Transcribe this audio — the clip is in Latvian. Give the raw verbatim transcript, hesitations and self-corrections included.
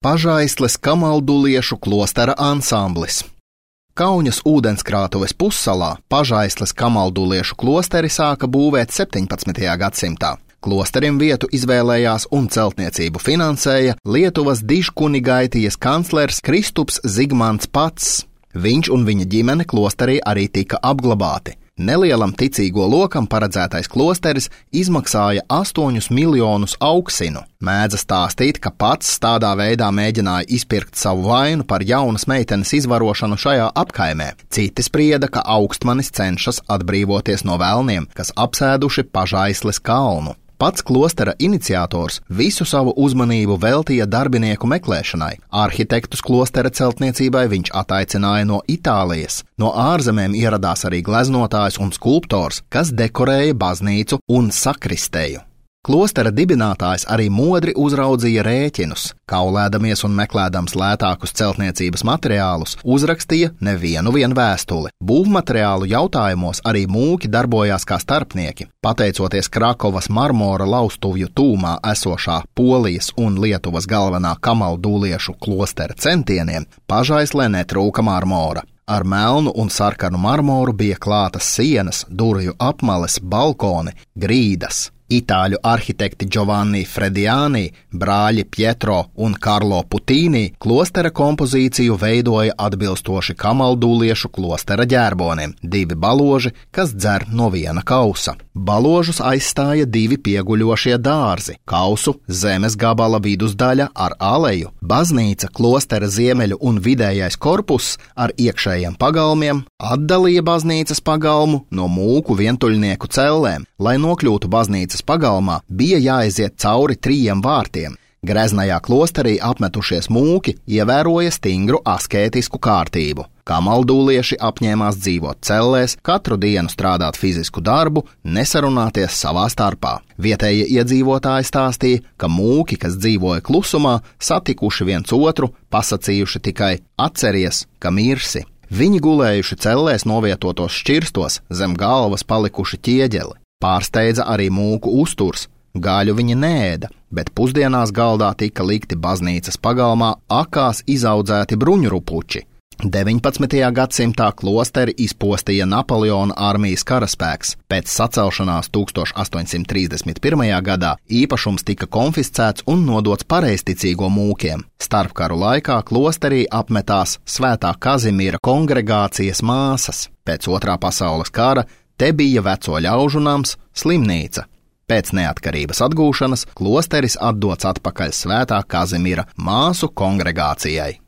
Pažaisles kamalduliešu klostera ansamblis. Kauņas ūdenskrātuves pussalā Pažaisles kamalduliešu klosteri sāka būvēt septiņpadsmitajā gadsimtā. Klosterim vietu izvēlējās un celtniecību finansēja Lietuvas dižkunigaitijas kanclers Kristups Zigmants Pats. Viņš un viņa ģimene klosterī arī tika apglabāti. Nelielam ticīgo lokam paredzētais klosteris izmaksāja astoņus miljonus auksinu. Mēdza stāstīt, ka Pats tādā veidā mēģināja izpirkt savu vainu par jaunas meitenes izvarošanu šajā apkaimē. Citi sprieda, ka augstmanis cenšas atbrīvoties no velniem, kas apsēduši Pažaisles kalnu. Pats klostera iniciators visu savu uzmanību veltīja darbinieku meklēšanai. Arhitektus klostera celtniecībai viņš ataicināja no Itālijas. No ārzemēm ieradās arī gleznotājs un skulptors, kas dekorēja baznīcu un sakristēju. Klostera dibinātājs arī modri uzraudzīja rēķinus. Kaulēdamies un meklēdams lētākus celtniecības materiālus, uzrakstīja nevienu vien vēstuli. Būvmateriālu jautājumos arī mūki darbojās kā starpnieki. Pateicoties Krakovas marmora laustuvju tūmā esošā Polijas un Lietuvas galvenā kamalduliešu klostera centieniem, Pažaislē netrūka marmora. Ar melnu un sarkanu marmoru bija klātas sienas, durvju apmales, balkoni, grīdas. Itāļu arhitekti Giovanni Frediani, brāļi Pietro un Karlo Putīni klostera kompozīciju veidoja atbilstoši kamalduliešu klostera ģērbonim, divi baloži, kas dzer no viena kausa. Baložus aizstāja divi pieguļošie dārzi, kausu zemes gabala vidusdaļa ar aleju, baznīca, klostera ziemeļu un vidējais korpus ar iekšējiem pagalmiem atdalīja baznīcas pagalmu no mūku vientuļnieku cellēm. Lai nokļūtu baznīcas pagalmā, bija jāaiziet cauri trījiem vārtiem. Greznajā klosterī apmetušies mūki ievēroja stingru askētisku kārtību. Kamaldulieši apņēmās dzīvot cellēs, katru dienu strādāt fizisku darbu, nesarunāties savā starpā. Vietējie iedzīvotāji stāstīja, ka mūki, kas dzīvoja klusumā, satikuši viens otru, pasacījuši tikai atceries, ka mirsi. Viņi gulējuši cellēs novietotos šķirstos, zem galvas palikuši ķieģeli. Pārsteidza arī mūku uzturs. Gaļu viņi neēda, bet pusdienās galdā tika likti baznīcas pagalmā akās izaudzēti bruņurupuči. deviņpadsmitajā gadsimtā klosteri izpostīja Napoleona armijas karaspēks. Pēc sacelšanās tūkstoš astoņsimt trīsdesmit pirmajā gadā īpašums tika konfiscēts un nodots pareizticīgo mūkiem. Starpkaru laikā klosterī apmetās Svētā Kazimīra kongregācijas māsas. Pēc otrā pasaules kara te bija veco ļaužu nams, slimnīca. Pēc neatkarības atgūšanas klosteris atdots atpakaļ Svētā Kazimīra māsu kongregācijai.